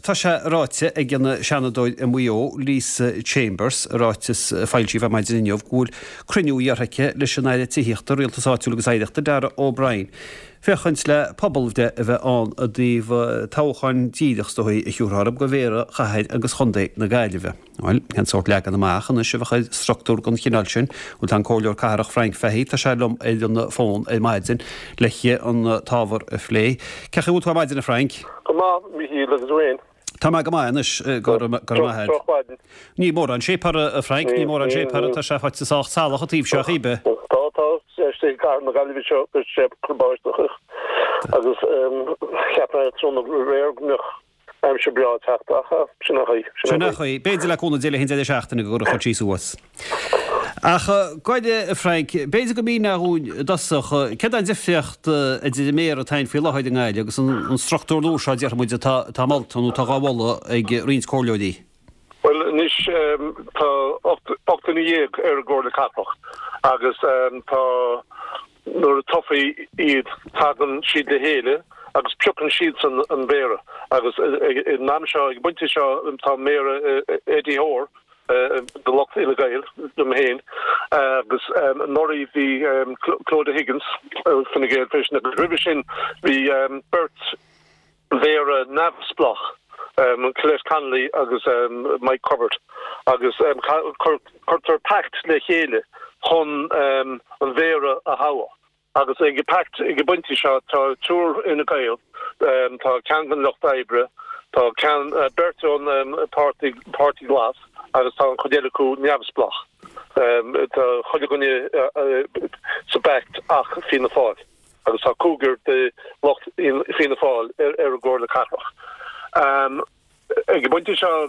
Tá sé ráite ag an Seanadóir i Maigh Eo, Lisa Chambers, i ráiteas a foilsíodh ar maidin inniu, go bhfuil cruinniú iarrtha aici leis an Aire Tithíochta, Rialtais Áitiúil agus Oidhreachta, Darragh O'Brien, féachaint le pobalbhreith a bheith ann i dtaobh toghchán díreach, is dóigh, a thiúrfá orthu, do mhéara chathair agus chontae na Gaillimhe. Bhuel, cén sórt leagan amach anois a bheadh ar struchtúr den chineál sin? Bhuel, tá an Comhairleoir Cathrach Frank Fahey, tá sé liom ar an bhfón ar maidin le an t-ábhar a phlé. Cén chaoi a bhfuil tú ar maidin, a Frank? Go maith, Mhichíl, agus tú fhéin? Tá mé go maith anois, go raibh maith agat. Drochmhaidin. Níl mórán séipéara, a Frank, níl mórán séipéara, tá sé faighte sách salach an taobh seo a chíbe. Tá, tá, istigh i gcathair na Gaillimhe seo, beidh sé ag cur báisteach agus cheap mé tráthnóna aréir go mbeadh Aimsir breá ag teacht ach sin an chaoi. Sin an chaoi. B'fhéidir le cúnamh Dé le haghaidh an deireadh seachtaine go gcuirfeadh sí suas. Ach gabh a Frank, b'fhéidir go míneofá dhúinn i dtosach, céard é an difríocht idir an méara atá ann faoi láthair i nGaillimh agus an struchtúr nua seo, déarfaidh muid, atá atá molta nó atá dhá mholadh ag roinnt comhairleoirí? Bhuel anois tá 18 duine ar an gComhairle Cathrach agus tá Nuair a toghfaí iad tagann siad le chéile agus piocann siadsan an mhéara agus ag an am seo, ag an bpointe seo tá an méara Eddie Hoare de lucht Fhine Gael, liom féin, agus anuraidh bhí Clodagh Higgins Fine Gael freisin agus roimhe sin bhí beirt mhéara neamhspleách, Colette Connolly agus Mike Culbert, agus cuirtear pact le chéile chun an mhéara a thoghadh. Agus ag an bpact, ag an bpointe seo, tá triúr Fhine Gael, tá ceann den Lucht Oibre, tá ceann, beirt ón Páirtí, Páirtí Glas agus tá an chuid eile acu neamhspleách. Tá chuile dhuine sa bpact ach Fianna Fáil. agus tá cúigear de lucht Fianna Fáil ar an gComhairle Cathrach. Ag an bpointe seo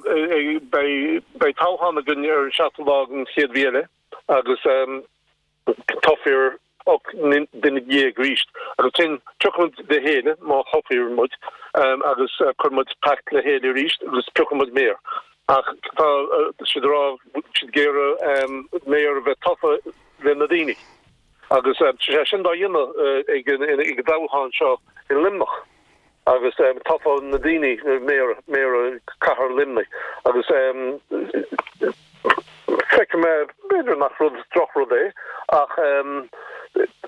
beidh toghchán againn ar an seachtú lá den chéad mhí eile agus toghfar 18 duine arís agus ansin tiocfaidh muid le chéile má thoghfar muid agus cuirfidh muid pact le chéile arís agus piocfaidh muid méara. Ach tá siad ag rá siad ag iarraidh méara a bheith tofa le na daoine. Agus tá sé sin dá dhéanamh ag an dtoghchán seo i Luimneach agus toghfaidh na daoine méara, méara cathair Luimnigh agus feicfidh mé, b'fhéidir nach rud, drochrud é ach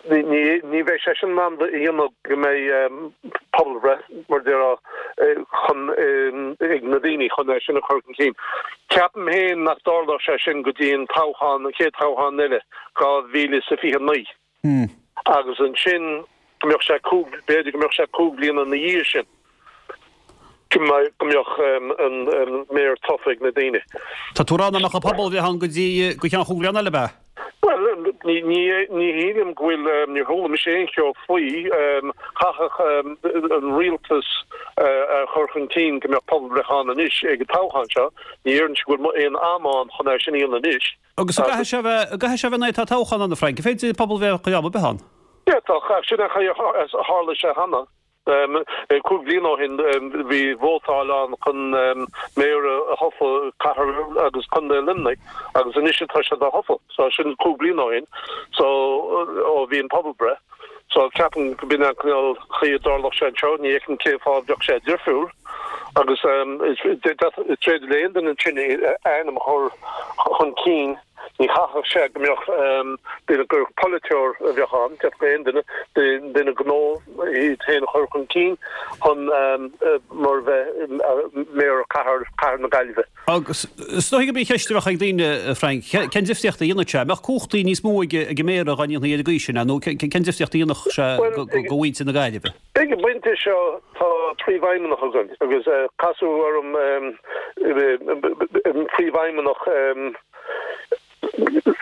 ní, ní bheidh sé sin in ann a dhéanamh go mbeidh pobalbhreith, mar a déarfá, chun, ag na daoine chun é sin a chur chun cinn. Ceapaim féin nach dtarlódh sé sin go dtí an toghchán, an chéad toghchán eile. 2029 agus ansin go mbeadh sé cúig, b'fhéidir go mbeadh sé 5 bliana ina dhiaidh sin go mbeadh an méara tofa ag na daoine. Tá tú ag rá nach mbeadh an pobalbhreith ann go dtí go ceann chúig bhliana eile, ab ea? Bhuel, ní shílim go bhfuil, níor chuala mise aon cheo faoi. Chaithfeadh an rialtas a chur chun cinn go mbeadh pobalbhreith ann anois ag an toghchán seo. Ní déarfainnse go bhfuil aon am ann chun é sin a dhéanamh anois. Agus an gcaithfidh sé a bheith, an gcaithfidh sé a bheith nuair atá toghchán ann, a Frank? An féidir pobalbhreith a chur am ar bith ann? D'fhéadfadh, ach sin an chaoi a tharla sé cheana. Cúig bliana ó shin bhí vótáil ann chun méara a thoghadh cathair agus contae Luimnigh agus anois atá sé dá thoghadh. So sin cúig bliana ó shin so ó bhí an pobalbhreith. So ceapaim go b'in an cineál chaoi a dtarlódh sé anseo. Ní fheicim cén fáth a bheadh sé difriúil. Agus is féidir le aon duine ansin a ainm a chur chun cinn. Ní chaithfeadh sé go mbeadh duine gur polaiteoir a bheadh ann, d'fhéadfadh aon duine, duine gnó, iad féin a chur chun cinn chun mar bheith méara cathair, cathair na Gaillimhe. Agus is dóigh gurb í an cheist a bheadh ag daoine, Frank, cén difríocht a dhéanfadh sé? An mbeadh cumhachtaí níos mó ag an méara dá ndéanfaí ar an gcaoi sin é, nó cén difríocht a dhéanfadh sé do mhuintir na Gaillimhe? Ag an bpointe seo tá príomhfheidhmeannach againn agus casadh orm an príomhfheidhmeannach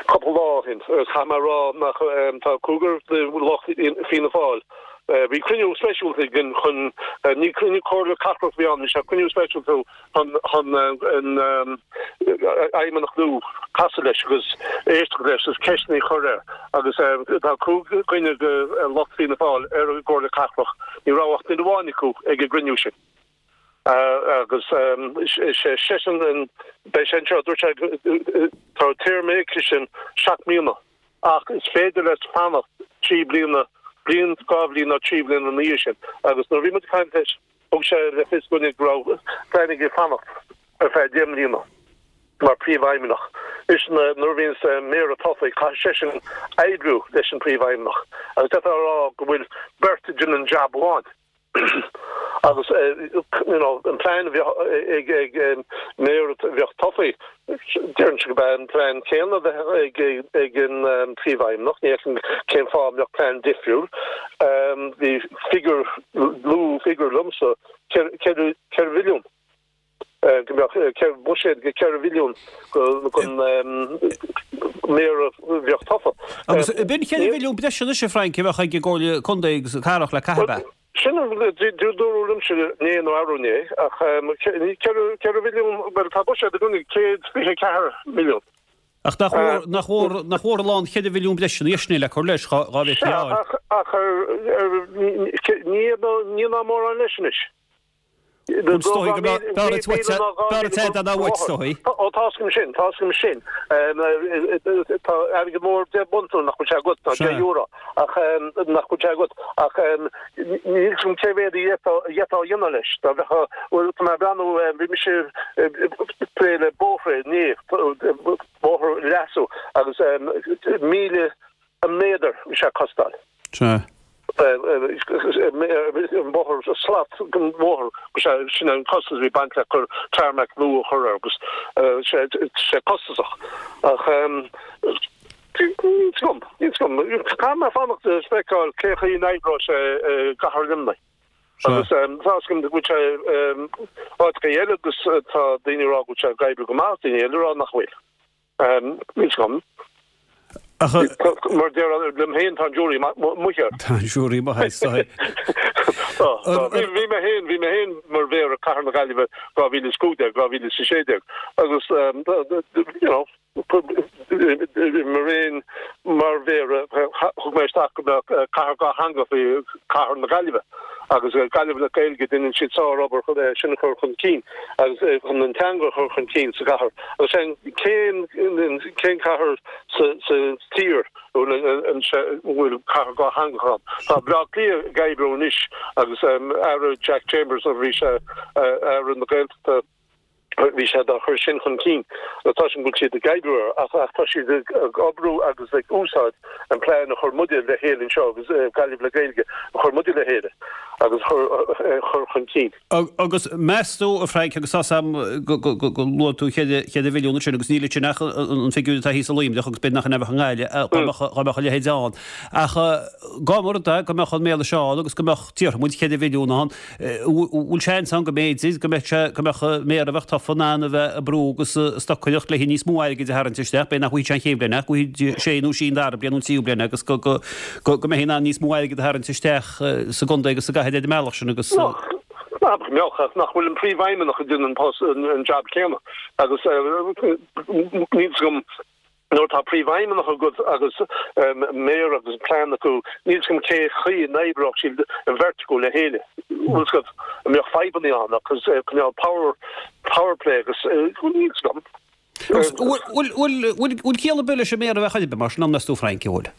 cúpla lá ó shin agus chaith mé a rá nach tá cúigear de lucht Fianna Fáil. Bhí cruinniú speisialta againn chun, ní cruinniú comhairle cathrach a bhí ann, bhí sé cruinniú speisialta chun an feidhmeannach nua casadh leis agus éisteacht leis agus ceisteanna a chur air agus tá 5 dhuine de lucht Fianna Fáil ar an gComhairle Cathrach, ní raibh ach duine amháin acu ag an gcruinniú sin agus sé seisean, beidh sé anseo, dúirt sé tá téarma aigesean 7 mbliana ach is féidir leis fanacht 3 bliana, bliain, 2 bhliain nó 3 bhliain ina dhiaidh sin agus nuair a bhí muid ag caint leis. Thug sé le fios dúinne go raibh plean aige fanacht ar feadh 10 mbliana mar phríomhfheidhmeannach. Anois nuair a bhíonns méara tofa caithfidh seisean oibriú leis an phríomhfheidhmeannach agus d'fhéadfá a rá go bhfuil beirt ag déanamh an jab amháin. Agus you know an plean a bheadh ag ag méara a bheadh tofa, déarfainnse gurb é an plean céanna a bheadh ag ag an príomhfheidhmeannach, ní fheicim cén fáth a mbeadh plean difriúil. Bhí figiúr, luadh figiúr liomsa, 4 mhilliún. go mbeadh buiséad de 4 mhilliún don méara a bheadh tofa. Agus b'in 4 mhilliún breise anois, a Frank, a bheadh ag an gComhairle Contae agus Cathrach le caitheamh, ab ea? Sin a dúradh liomsa inné nó arú inné, ach 4 mhilliún, bhuel tá buiséad againn 124 milliún. Ach nach mór, nach mór, nach mór a lán 4 mhilliún breise ina dhiaidh sin le cur leis, dá bhféadfaí a fháil. Sea, ach ní ná mórán leis anois. Is dóigh go mbeadh b'fhearr duit é ná uait, is dóigh. Ó, tá 'fhios agam sin, tá 'fhios agam sin. Tá airgead mór 10 bpunt nuair nach bhfuil sé agat, nó 10 euro, ach nach bhfuil sé agat. Ach níl 'fhios agam cé mhéad a d'fhéadfá a dhéanamh leis. Dá bheadh, bhuel, tá mé ag breathnú, bhí mise ag plé le bóithre inné, bóthar a leasú, agus 1,000 an méadar bhí sé ag costáil. Sea. An bóthar, slat den bhóthar, sin an costas a bhí baint le cur tarmac nua a chur air agus sé costasach. Ach níl 'fhios agam, níl 'fhios agam. Caithfidh mé fanacht is feiceáil cé chaoi a n-oibreoidh sé i gcathair Luimnigh. Agus tá 'fhios agam go bhfuil sé áiteacha eile agus tá daoine ag rá go bhfuil sé ag oibriú go maith, daoine eile ag rá nach bhfuil. Níl 'fhios agam. Ach. Mar déarfá liom féin, tá an jury amuigh air. Tá an jury amuigh air, is dóigh. Tá, tá. Bhí mé féin, bhí mé féin mar mhéara Cathair na Gaillimhe 2015, 2016 agus you know, mar aon mar mhéara thug mé isteach go mbeadh cathair dhátheangach i Cathair na Gaillimhe. Agus Gaillimh le Gaeilge, déanann siad sár-obair chun é sin a chur chun cinn agus chun an teanga a chur chun cinn sa gcathair. Agus sin cén cén cathair sa sa tír a bhfuil cathair dhátheangach ann? Tá Baile Átha Cliath ag oibriú anois agus Aire Jack Chambers nuair a bhí sé Aire na Gaeltachta, Bhí sé dá chur sin chun cinn. Tá sin go bhfuil siad ag oibriú air ach ach tá siad ag oibriú agus ag úsáid an plean a chuir muide le chéile anseo agus Gaillimh le Gaeilge a chuir muide le chéile agus a chur chun cinn. Agus meas tú, a Frank, agus tá's a'm go luaigh tú 4 mhilliún ansin agus níl ansin ach an figiúr atá thíos i Luimneach agus b'fhéidir nach in é a bheadh i nGaillimh dá mbeadh a leithéid ann. Ach dá mba rud é go mbeadh an méala seo ann agus go mbeadh, déarfaidh muid, 4 mhilliún ann, Bhfuil seans ann go mb'fhéidir go mbeadh sé, go mbeadh méara a bheadh tofa in ann a bheith ag brú agus ag stocaireacht le níos mó airgid a tharraingt isteach, b'fhéidir nach bhfaighidh sé an chéad bhliain ach go bhfaighidh sé nó sí an dara bliain nó an tríú bliain agus go, go, go, go mbeifí in ann níos mó airgid a tharraingt isteach sa gcontae agus sa gcathair ar an mbealach sin agus. Nach mbeadh ach nach bhfuil an príomhfheidhmeannach ag déanamh an post, an jab céanna agus níl 'fhios agam Nuair atá príomhfheidhmeannach agat agus méara agus plean acu, níl 'fhios agam cé chaoi a n-oibreodh siad an bheirt acu le chéile. Bhfuil 'fhios agat, an mbeadh fadhbanna ann agus cineál power, power play agus níl 'fhios agam. Bhfuil, bhfuil ciall ar bith leis an méara a bheith chor ar bith mar sin, an meas tú Frank, an bhfuil?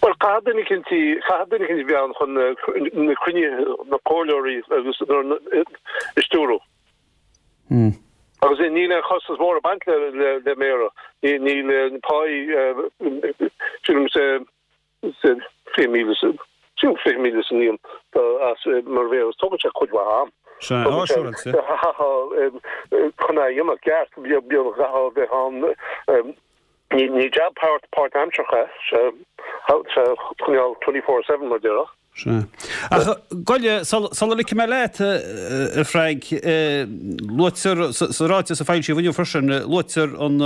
Bhuel, caithfidh duine eicínt, caithfidh duine eicínt a bheith ann chun na cruinnithe, na comhairleoirí agus a stiúradh. Agus níl aon chostas mór ag baint le méara. Níl páí, sílim, 20,000, sílim 20,000 sa mbliain as mar mhéara. Tógann sé cuid mhaith am. Sea, á, siúráilte. Chun é a dhéanamh ceart, chaithfeá a bheith ann. Ní jab páirtaimseartha é, sé coinneáil 24/7 mar déarfá. Sea. Ach gabh i leith, sula ligfidh mé leat, a Frank, luaitear sa ráiteas a foilsíodh inniu freisin, luaitear an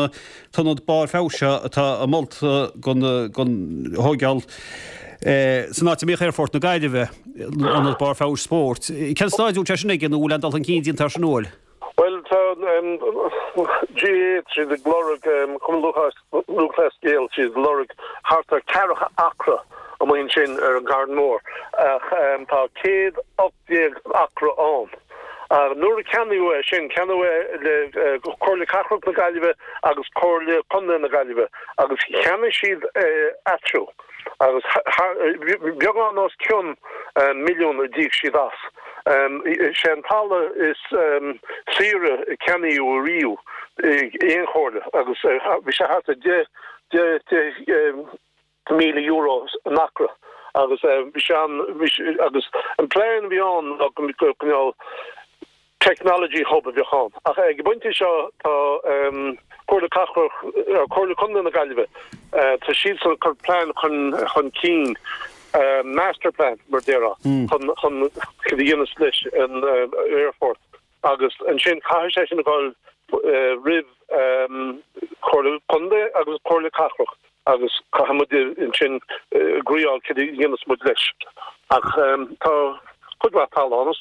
t-ionad barr feabhais seo atá molta don thóigeáil san áit a mbíodh Aerfort na Gaillimhe, ionad barr feabhais spóirt. Cén staid a bhfuil sé sin aige nó an bhfuil aon dul chun cinn déanta air sin an bhfuil? Bhuel, tá GAA, tá siad ag lorg, Cumann Lúthchleas Gael, tá siad ag lorg thart ar ceathracha acra amuigh ansin ar an gCarn Mór ach tá 118 acra ann. Nuair a ceannaíodh é sin, ceannaíodh é le Comhairle Cathrach na Gaillimhe agus Comhairle Contae na Gaillimhe agus cheannaigh siad é eatarthu. Agus beagán os cionn milliún a d'íoc siad as. Sé an talamh is saoire a ceannaíodh ariamh ag aon chomhairle agus bhí sé thart ar 10, 10, €10,000 an acra agus bhí sé an, bhí sé, agus an plean a bhí ann ná go mbeadh cineál technology hub a bheadh ann. Ach ag an bpointe seo tá Comhairle Cathrach, Comhairle Contae na Gaillimhe, tá siadsan ag cur plean chun chun cinn, master plan mar a déarfá, chun chun cad a dhéanfas leis an aerfort. Agus ansin caithfidh sé sin a dhul roimh Comhairle Contae agus Comhairle Cathrach agus caithfidh muid ansin agreeáil cad a dhéanfas muid leis. Ach tá cuid mhaith talamh ann,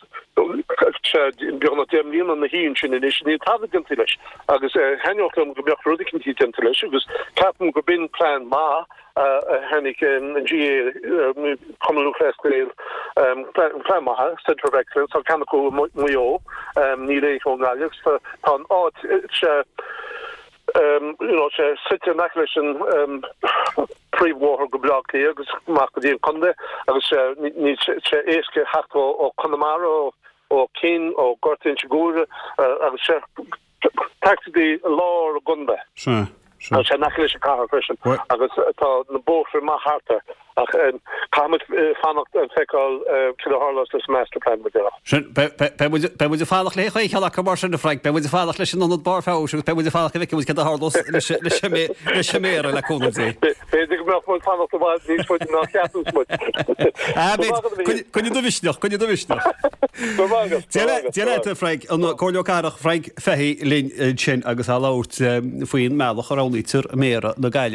sé beagnach 10 mbliana ina shuí ansin anois, níl tada déanta leis agus thaitneodh liom go mbeadh rud eicínt déanta leis agus ceapaim gurb in plean maith a tháinig an GAA, Cumann Lúthchleas Gael, plean maith, Centre of Excellence, tá ceann acu i Maigh Eo, níl aon cheann i nGaillimh, agus tá an áit, sé, you know, sé suite in aice leis an príomhbhóthar go Baile Átha Cliath agus amach go dtí an contae agus sé, níl sé éasca theacht ó Chonamara, ó Cinn, ó Gort Inse Guaire agus sé, Practically i lár an gcontae. Sea, sea. Tá sé in aice leis an cathair freisin agus tá na bóithre maith thart air. Ach caithfidh muid fanacht and feiceáil cad a tharlós leis an master plan mar déarfá. Sin, beidh muid, beidh muid ag fanacht le chaon cheann acu mar sin, a Frank. Beidh muid ag fanacht leis an ionad barr feabhais agus beidh muid ag fanacht go bhfeicfidh muid cad a tharlós leis, leis an, leis an méara le cúnamh Dé. B'fhéidir go mbeadh muid fanacht i bhfad níos faide ná cheapanns muid. Ah, b'fhéidir. Coinnigh do mhisneach, coinnigh do mhisneach. Go raibh maith agat. Dia leat, Dia leat, a Frank. An Comhairleoir Cathrach Frank Fahey linn ansin agus á labhairt faoin mbealach a roghnaítear Méara na Gaillimhe.